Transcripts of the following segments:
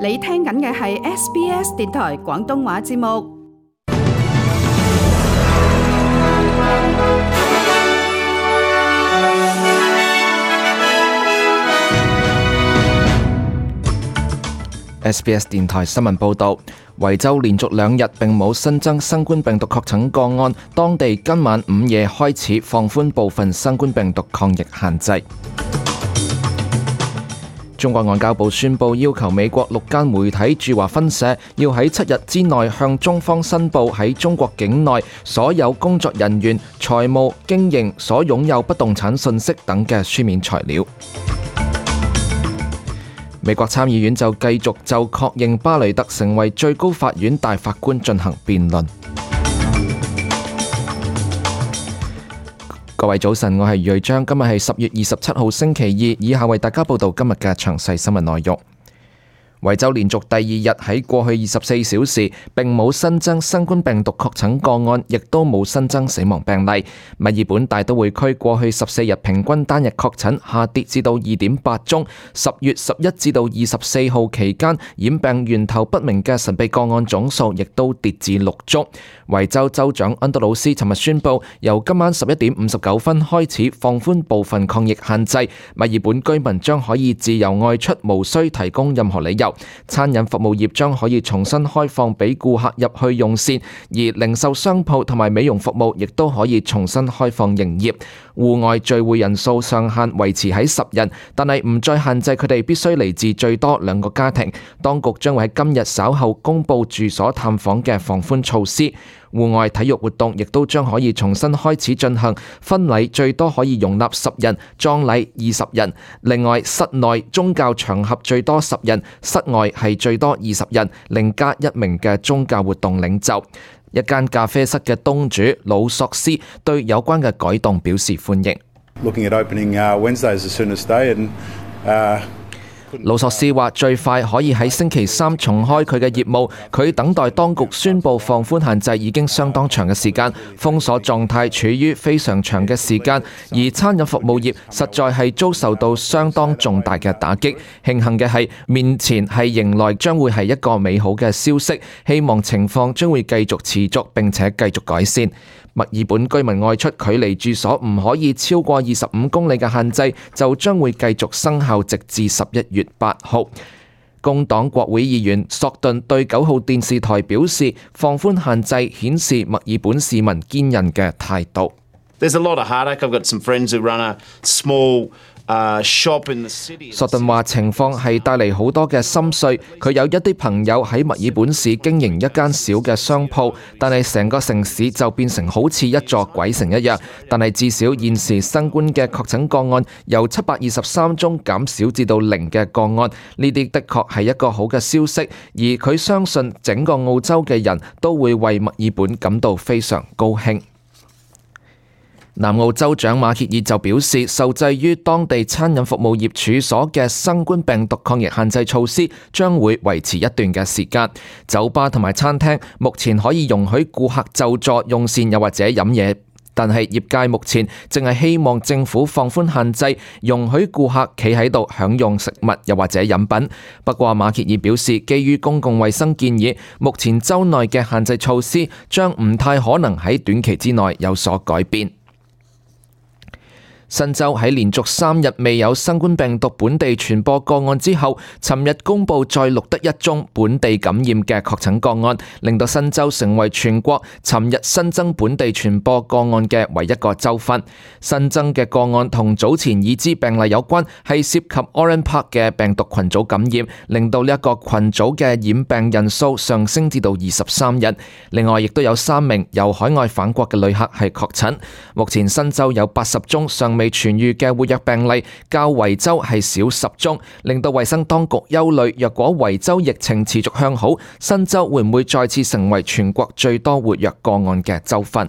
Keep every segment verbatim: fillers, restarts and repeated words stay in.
你聽緊嘅係 S B S 電台廣東話節目。S B S 電台新聞報導，維州連續兩日並冇新增新冠病毒確診個案，當地今晚午夜開始放寬部分新冠病毒抗疫限制。中國外交部宣布要求美國六間媒體駐華分社要喺七日之內向中方申報喺中國境內所有工作人員、財務、經營所擁有不動產信息等嘅書面材料。美國參議院就繼續就確認巴雷特成為最高法院大法官進行辯論。各位早晨，我係瑞章，今日係十月二十七號星期二，以下為大家報道今日嘅詳細新聞內容。維州連續第二日喺過去二十四小時並冇新增新冠病毒確診個案，亦都冇新增死亡病例。墨爾本大都會區過去十四日平均單日確診下跌至到二點八宗。十月十一至到二十四號期間染病源頭不明嘅神秘個案總數亦都跌至六宗。維州州長安德魯斯尋日宣布，由今晚十一點五十九分開始放寬部分抗疫限制，墨爾本居民將可以自由外出，無需提供任何理由。餐飲服務業將可以重新開放俾顧客入去用膳，而零售商鋪同埋美容服務亦都可以重新開放營業。戶外聚會人數上限維持喺十人，但係唔再限制佢哋必須嚟自最多兩個家庭。當局將會喺今日稍後公布住所探訪嘅放寬措施。戶外體育活動亦都將可以重新開始進行，婚禮最多可以容納十人，葬禮二十人。另外，室內宗教場合最多十人，室外係最多二十人，另加一名嘅宗教活動領袖。一間咖啡室嘅東主魯索斯對有關嘅改動表示歡迎。Looking at opening uh, Wednesdays as soon as today and uh魯索斯話最快可以喺星期三重開佢嘅業務，佢等待當局宣布放寬限制已經相當長嘅時間，封鎖狀態處於非常長嘅時間，而餐飲服務業實在係遭受到相當重大嘅打擊。慶幸嘅係，面前係迎來將會係一個美好嘅消息，希望情況將會繼續持續並且繼續改善。墨爾本居民外出距離住所唔可以超過二十五公里嘅限制就將會繼續生效，直至十一月八號。工黨國會議員索頓對九號電視台表示，放寬限制顯示墨爾本市民堅韌嘅態度。There's a lot of heartache. I've got some friends who run a small Uh, shop in the city. 索頓話情況係帶嚟好多嘅心碎，佢有一啲朋友喺墨爾本市經營一間小嘅商鋪，但係成個城市就變成好似一座鬼城一樣。但係至少現時新冠嘅確診個案由七百二十三宗減少至到零嘅個案，呢啲的確係一個好嘅消息，而佢相信整個澳洲嘅人都會為墨爾本感到非常高興。南澳州長馬歇爾就表示，受制於當地餐飲服務業處所嘅新冠病毒抗疫限制措施，將會維持一段嘅時間。酒吧同埋餐廳目前可以容許顧客就座用膳又或者飲嘢，但係業界目前淨係希望政府放寬限制，容許顧客企喺度享用食物又或者飲品。不過馬歇爾表示，基於公共衛生建議，目前州內嘅限制措施將唔太可能喺短期之內有所改變。新州喺連續三日未有新冠病毒本地傳播個案之後，尋日公布再錄得一宗本地感染嘅確診個案，令到新州成為全國尋日新增本地傳播個案嘅唯一個州份。新增嘅個案同早前已知病例有關，係涉及 Oran Park 嘅病毒群組感染，令到呢一個群組嘅染病人數上升至到二十三人。另外，亦都有三名由海外返國嘅旅客係確診。目前新州有八十宗尚未未痊癒嘅活躍病例，較維州係少十宗，令到衛生當局憂慮，若果維州疫情持續向好，新州會唔會再次成為全國最多活躍個案嘅州份？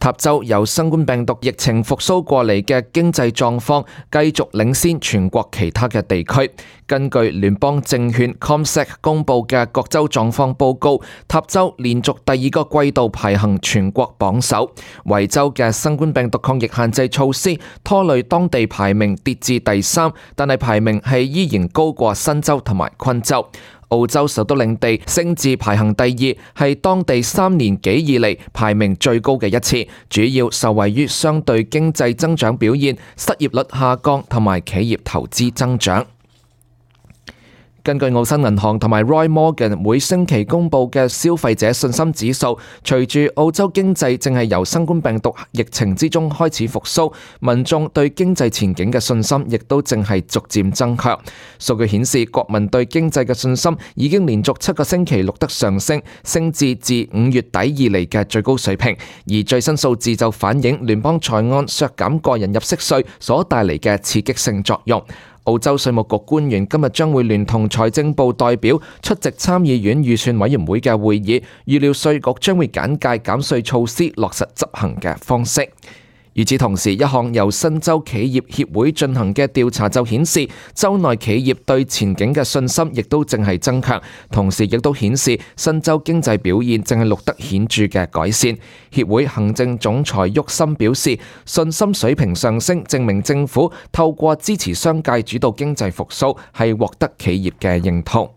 塔州由新冠病毒疫情復甦過嚟嘅經濟狀況繼續領先全國其他嘅地區。根據聯邦證券 CommSec 公佈嘅各州狀況報告，塔州連續第二個季度排行全國榜首。維州嘅新冠病毒抗疫限制措施拖累當地排名跌至第三，但係排名係依然高過新州同埋昆州。澳洲首都領地升至排行第二，係當地三年幾以嚟排名最高嘅一次，主要受惠於相對經濟增長表現、失業率下降同埋企業投資增長。根據澳新銀行同埋 Roy Morgan 每星期公布嘅消費者信心指數，隨住澳洲經濟正係由新冠病毒疫情之中開始復甦，民眾對經濟前景嘅信心亦都正係逐漸增強。數據顯示，國民對經濟嘅信心已經連續七個星期錄得上升，升至自五月底以嚟嘅最高水平。而最新數字就反映聯邦財案削減個人入息稅所帶嚟嘅刺激性作用。澳洲稅務局官員今日將會聯同財政部代表出席參議院預算委員會嘅會議，預料稅局將會簡介減稅措施落實執行嘅方式。與此同時，一項由新州企業協會進行嘅調查就顯示，州內企業對前景嘅信心亦都正係增強，同時亦都顯示新州經濟表現正係錄得顯著嘅改善。協會行政總裁沃森表示，信心水平上升，證明政府透過支持商界主導經濟復甦，係獲得企業嘅認同。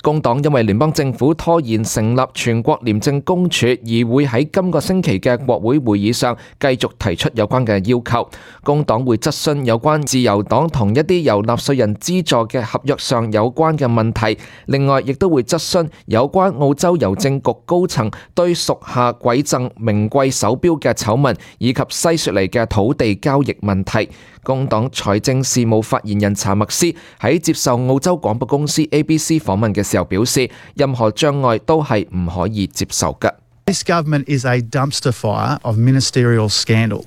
工黨因為聯邦政府拖延成立全國廉政公署，而會喺今個星期嘅國會會議上繼續提出有關嘅要求。工黨會質詢有關自由黨同一啲由納稅人資助嘅合約上有關嘅問題，另外亦都會質詢有關澳洲郵政局高層對屬下饋贈名貴手錶嘅醜聞，以及西雪梨嘅土地交易問題。工黨財政事務發言人查默斯喺接受澳洲廣播公司 A B C 訪問嘅時候表示，任何障礙都係唔可以接受嘅。This government is a dumpster fire of ministerial scandal.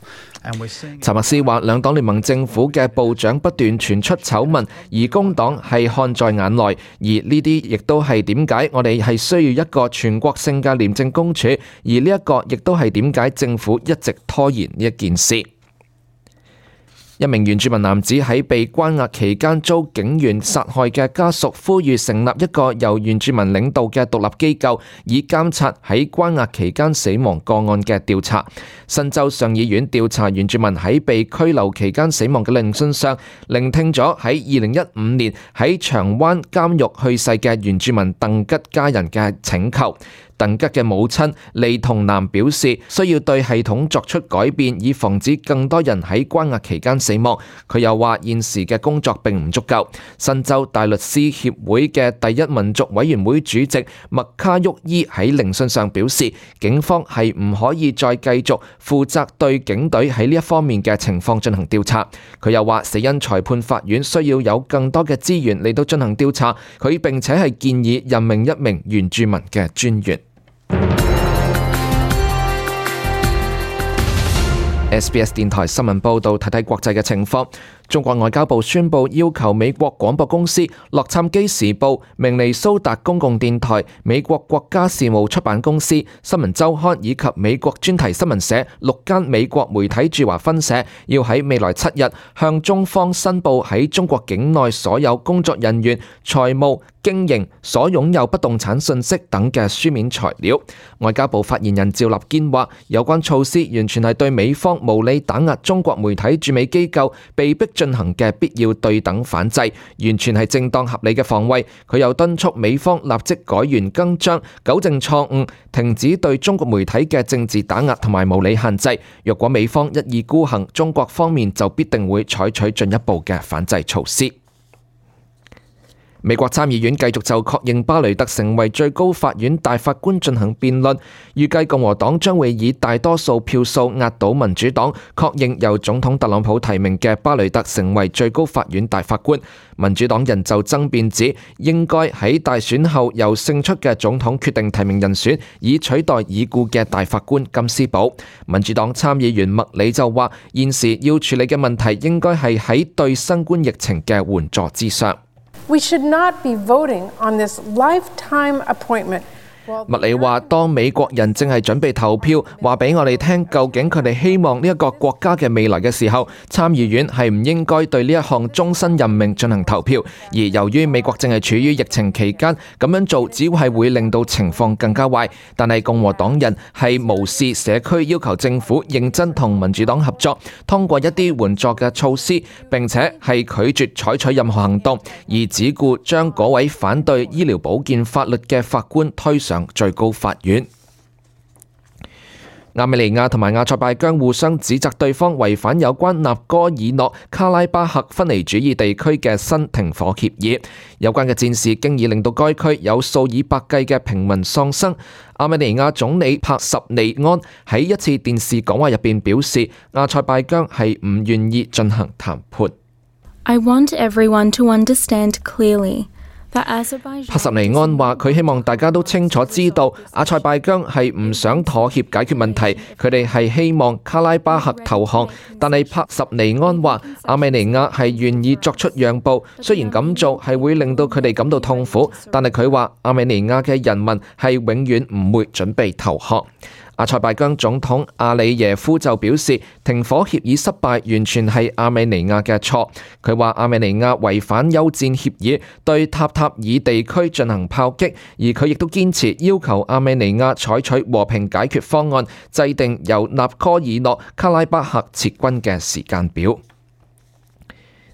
查默斯話，兩黨聯盟政府嘅部長不斷傳出醜聞，而工黨係看在眼內，而呢啲亦都係點解我哋係需要一個全國性嘅廉政公署，而呢一個亦都係點解政府一直拖延呢一件事。一名原住民男子喺被關押期間遭警員殺害嘅家屬呼籲成立一個由原住民領導嘅獨立機構，以監察喺關押期間死亡個案嘅調查。新州上議院調查原住民喺被拘留期間死亡嘅聆訊上，聆聽咗喺二零一五年喺長灣監獄去世嘅原住民鄧吉家人嘅請求。鄧吉嘅母親利同南表示，需要對系統作出改變，以防止更多人喺關押期間死亡。佢又話現時嘅工作並唔足夠。新州大律師協會嘅第一民族委員會主席麥卡沃伊喺聆訊上表示，警方係唔可以再繼續負責對警隊喺呢一方面嘅情況進行調查。佢又話死因裁判法院需要有更多嘅資源嚟到進行調查。佢並且係建議任命一名原住民嘅專員。S B S 電台新聞報道，睇睇國際嘅情況。中國外交部宣布要求美國廣播公司、洛杉磯時報、明尼蘇達公共電台、美國國家事務出版公司、新聞週刊以及美國專題新聞社六間美國媒體駐華分社，要喺未來七日向中方申報喺中國境內所有工作人員、財務、經營、所擁有不動產信息等嘅書面材料。外交部發言人趙立堅話，有關措施完全係對美方無理打壓中國媒體駐美機構被逼進行嘅必要對等反制，完全係正當合理嘅防衛。佢又敦促美方立即改弦更張，糾正錯誤，停止對中國媒體嘅政治打壓同埋無理限制。若果美方一意孤行，中國方面就必定會採取進一步嘅反制措施。美國參議院繼續就確認巴雷特成為最高法院大法官進行辯論，預計共和黨將會以大多數票數壓倒民主黨，確認由總統特朗普提名嘅巴雷特成為最高法院大法官。民主黨人就爭辯指，應該喺大選後由勝出嘅總統決定提名人選，以取代已故嘅大法官金斯堡。民主黨參議員麥里就話，現時要處理嘅問題應該係喺對新冠疫情嘅援助之上。We should not be voting on this lifetime appointment 麥理話，當美國人正係準備投票，話俾我哋聽究竟佢哋希望呢一個國家嘅未來嘅時候，參議院係唔應該對呢一項終身任命進行投票。而由於美國正係處於疫情期間，咁樣做只係會令到情況更加壞。但係共和黨人係無視社區要求政府認真同民主黨合作，通過一啲援助嘅措施，並且係拒絕採取任何行動，而只顧將嗰位反對醫療保健法律嘅法官推上最高法院。亞美尼亞同埋阿塞拜疆互相指責對方違反有關納戈爾諾卡拉巴赫分離主義地區嘅新停火協議。有關嘅戰事經已令到該區有數以百計嘅平民喪生。亞美尼亞總理帕什尼安喺一次電視講話入邊表示，阿塞拜疆係唔願意進行談判。I want everyone to understand clearly.帕什尼安話：佢希望大家都清楚知道，阿塞拜疆係唔想妥協解決問題，佢哋係希望卡拉巴赫投降。但係帕什尼安話，亞美尼亞係願意作出讓步，雖然咁做係會令到佢哋感到痛苦，但係佢話亞美尼亞嘅人民係永遠唔會準備投降。阿塞拜疆總統阿里耶夫就表示，停火協議失敗完全係亞美尼亞嘅錯。佢話亞美尼亞違反休戰協議，對塔塔爾地區進行炮擊，而佢亦都堅持要求亞美尼亞採取和平解決方案，制定由納戈爾諾卡拉巴赫撤軍嘅時間表。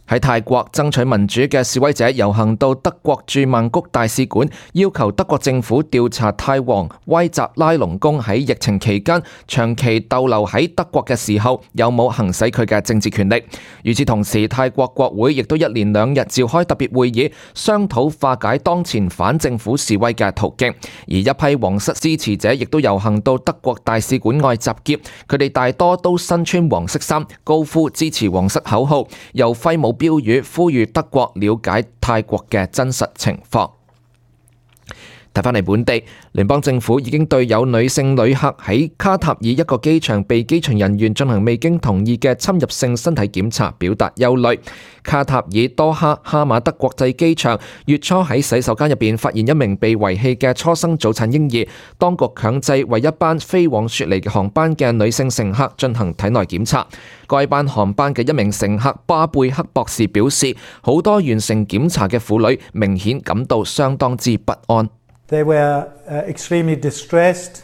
喺泰國爭取民主嘅示威者遊行到德國駐曼谷大使館，要求德國政府調查泰王威扎拉隆功喺疫情期間長期逗留喺德國嘅時候有冇行使佢嘅政治權力。與此同時，泰國國會亦都一連兩日召開特別會議，商討化解當前反政府示威嘅途徑。而一批皇室支持者亦都遊行到德國大使館外集結，佢哋大多都身穿黃色衫，高呼支持皇室口號，又揮舞標語呼籲德國了解泰國嘅真實情況。睇返嚟本地，聯邦政府已經對有女性旅客喺卡塔爾一個機場被機場人員進行未經同意嘅侵入性身體檢查表達憂慮。卡塔爾多哈哈馬德國際機場月初喺洗手間入邊發現一名被遺棄嘅初生早產嬰兒，當局強制為一班飛往雪梨嘅航班嘅女性乘客進行體內檢查。該班航班嘅一名乘客巴貝克博士表示，好多完成檢查嘅婦女明顯感到相當之不安。They were, uh, extremely distressed.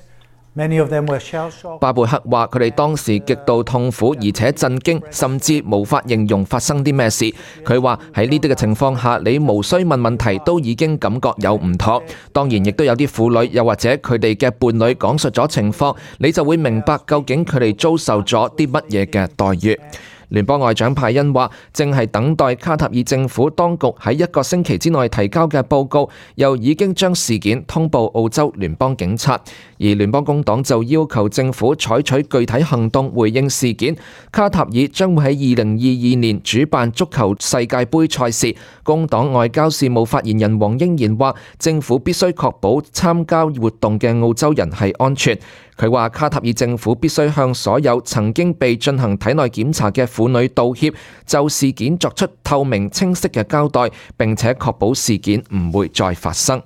Many of them were shell-shocked. 巴貝克話：佢哋當時極度痛苦，而且震驚，甚至無法形容發生啲咩事。佢話喺呢啲嘅情況下，你無需問問題，都已經感覺有唔妥。當然，亦都有啲婦女，又或者佢哋嘅伴侶講述咗情況，你就會明白究竟佢哋遭受咗啲乜嘢嘅待遇。聯邦外長派恩話，正係等待卡塔爾政府當局喺一個星期之內提交嘅報告，又已經將事件通報澳洲聯邦警察。而聯邦工黨就要求政府採取具體行動回應事件。卡塔爾將會喺二零二二年主辦足球世界盃賽事。工黨外交事務發言人黃英賢話，政府必須確保參加活動嘅澳洲人係安全。佢話卡塔爾政府必須向所有曾經被進行體內檢查嘅婦女道歉，就事件作出透明清晰嘅交代，並且確保事件唔會再發生。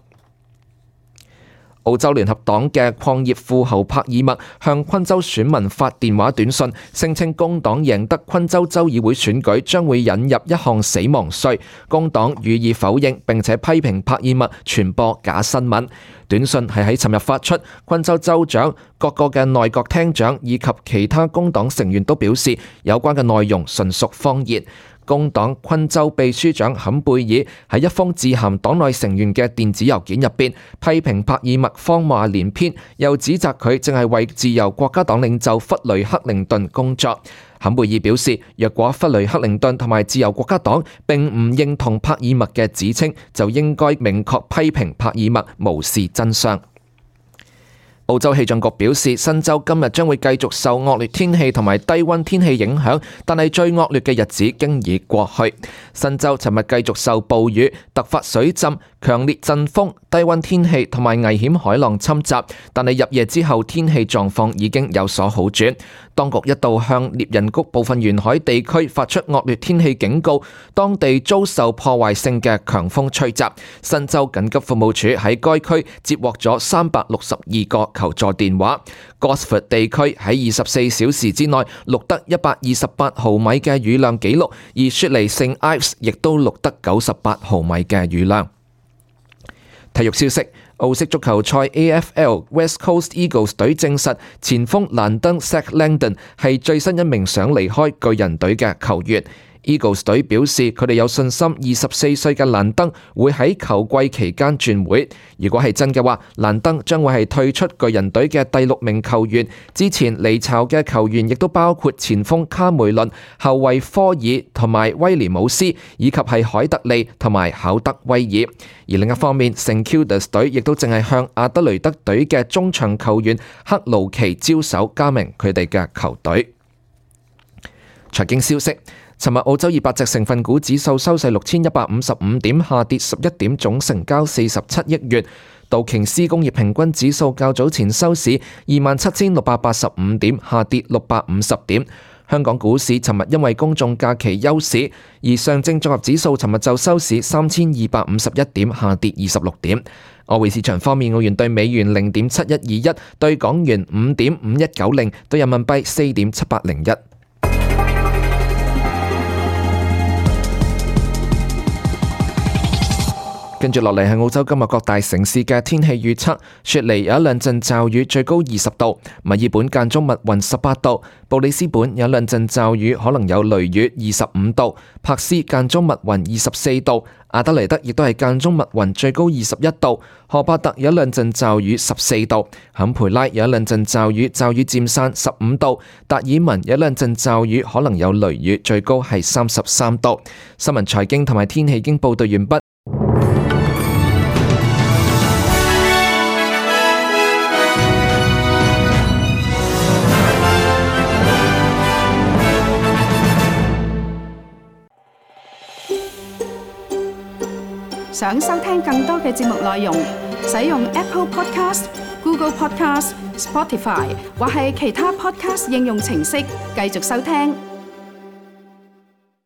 澳洲聯合黨嘅礦業富豪帕爾默向昆州選民發電話短信，聲稱工黨贏得昆州州議會選舉將會引入一項死亡稅。工黨予以否認，並且批評帕爾默傳播假新聞。短信係喺尋日發出，昆州州長、各個嘅內閣廳長以及其他工黨成員都表示，有關嘅內容純屬謊言。工黨昆州秘書長坎貝爾喺一封致函黨內成員嘅電子郵件入邊，批評帕爾默謊話連篇，又指責佢正係為自由國家黨領袖弗雷克靈頓工作。坎貝爾表示，若果弗雷克靈頓同埋自由國家黨並唔認同帕爾默嘅指稱，就應該明確批評帕爾默無視真相。澳洲氣象局表示，新州今日將會繼續受惡劣天氣同埋低溫天氣影響，但係最惡劣嘅日子經已過去。新州尋日繼續受暴雨、突發水浸、強烈陣風、低溫天氣同埋危險海浪侵襲，但係入夜之後天氣狀況已經有所好轉。當局一度向獵人谷部分沿海地區發出惡劣天氣警告，當地遭受破壞性嘅強風吹襲。新州緊急服務處喺該區接獲咗三百六十二個求助電話。Gosford 地區喺二十四小時之內錄得一百二十八毫米嘅雨量紀錄，而雪梨聖埃斯亦都錄得九十八毫米嘅雨量。體育消息，澳式足球賽 A F L West Coast Eagles 隊證實前鋒蘭登 Zach Langdon 係最新一名想離開巨人隊嘅球員。Eagles 隊表示佢哋有信心二十四歲嘅蘭登會喺球季期間轉會。如果係真嘅話，蘭登將會係退出巨人隊嘅第六名球員。之前離巢嘅球員亦都包括前鋒卡梅倫、後衛科爾同埋威廉姆斯，以及係海特利同埋考德威爾。而另一方面，聖 Kildas 隊亦都淨係向阿德雷德隊嘅中場球員克勞奇招手，加盟佢哋嘅球隊。財經消息。尋日澳洲二百隻成分股指數收市六千一百五十五點，下跌十一點，總成交四十七億元。道瓊斯工業平均指數較早前收市二萬七千六百八十五點，下跌六百五十點。香港股市尋日因為公眾假期休市，而上證綜合指數尋日就收市三千二百五十一點，下跌二十六點。外匯市場方面，澳元對美元零點七一二一，對港元五點五一九零，對人民幣四點七八零一。跟住落嚟係澳洲今日各大城市嘅天氣預測。雪梨有一兩陣驟雨，最高二十度；墨爾本間中密雲十八度；布里斯本有兩陣驟雨，可能有雷雨二十五度；柏斯間中密雲二十四度；阿德萊德亦都係間中密雲，最高二十一度；荷伯特有一兩陣驟雨十四度；坎培拉有一兩陣驟雨，驟雨漸散十五度；達爾文有一兩陣驟雨，可能有雷雨，最高係三十三度。新聞財經同埋天氣已經報道完畢。想收聽更多嘅節目內容，使用 Apple Podcast、Google Podcast、Spotify 或係其他 Podcast 應用程式繼續收聽。